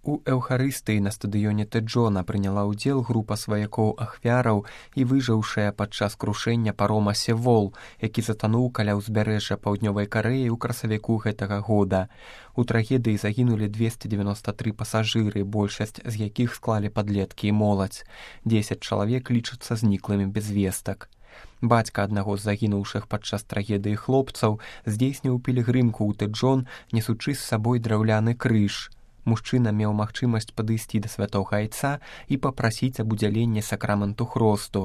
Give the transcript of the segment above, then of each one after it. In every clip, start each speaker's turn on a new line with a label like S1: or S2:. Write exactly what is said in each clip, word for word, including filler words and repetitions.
S1: У эўхарыстыі на стадыёне Тэджона прыняла ўдзел група сваякоў ахвяраў і выжыўшая падчас крушэння парома Севол, які затануў каля ўзбярэжжа паўднёвай Карэі ў красавіку гэтага года. У трагедыі загінулі двесце дзевяноста тры пасажыры, большасць з якіх склалі падлеткі і моладзь. дзесяць чалавек лічацца зніклымі без вестак. Бацька аднаго з загінуўшых падчас трагедыі хлопцаў здзейсніў пілігрымку ў Тэджон, несучы з сабой драўляны крыж. Мужчына меў магчымасць падысці да святога айца і папрасіць аб удзяленні сакраменту хросту.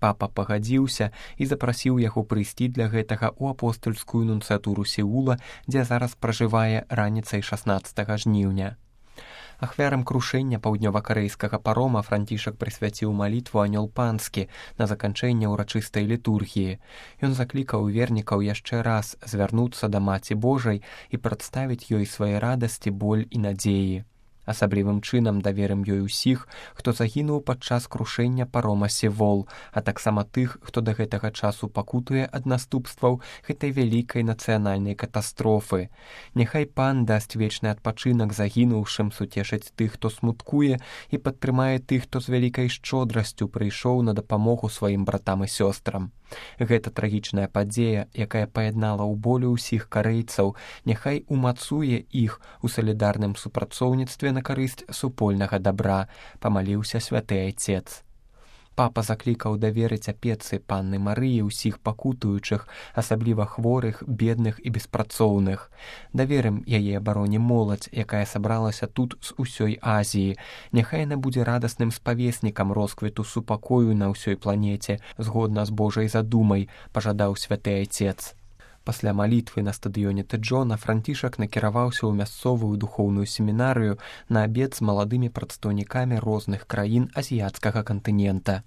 S1: Папа пагадзіўся і запрасіў яго прыйсці для гэтага ў апостальскую нунцыятуру Сеула, дзе зараз пражывае раніцай шаснаццатага жніўня. Ахвярам крушэння паўднёва-карэйскага парома Францішак прысвяціў малітву «Анёл панскі» на заканчэнне ўрачыстай літургіі. Ён заклікаў вернікаў яшчэ раз звярнуцца да Маці Божай і прадставіць ёй свае радасці, боль і надзеі. Асаблівым чынам даверым ёй усіх, хто загінуў падчас крушэння парома Севол, а таксама тых, хто да гэтага часу пакутуе ад наступстваў гэтай вялікай нацыянальнай катастрофы. Няхай пан дасць вечны адпачынак загінуўшым, суцешыць тых, хто смуткуе, і падтрымае тых, хто з вялікай шчодрасцю прыйшоў на дапамогу сваім братам і сёстрам. Гэта трагічная падзея, якая паяднала ў болю ўсіх карэйцаў, няхай умацуе іх у салідарным супрацоўніцтве на карысць супольнага дабра, памаліўся святы айцец. Папа заклікаў даверыць апецы панны Марыі ўсіх пакутуючых, асабліва хворых, бедных і беспрацоўных. Даверым яе абароне моладзь, якая сабралася тут з усёй Азіі. Няхай яна будзе радасным спавеснікам росквіту супакою на ўсёй планеце, згодна з Божай задумай, пажадаў святы айцец. Пасля малітвы на стадыёне Тэджона Францішак накіраваўся ў мясцовую духоўную семінарыю на абед з маладымі прадстаўнікамі розных краін азіяцкага кантынента.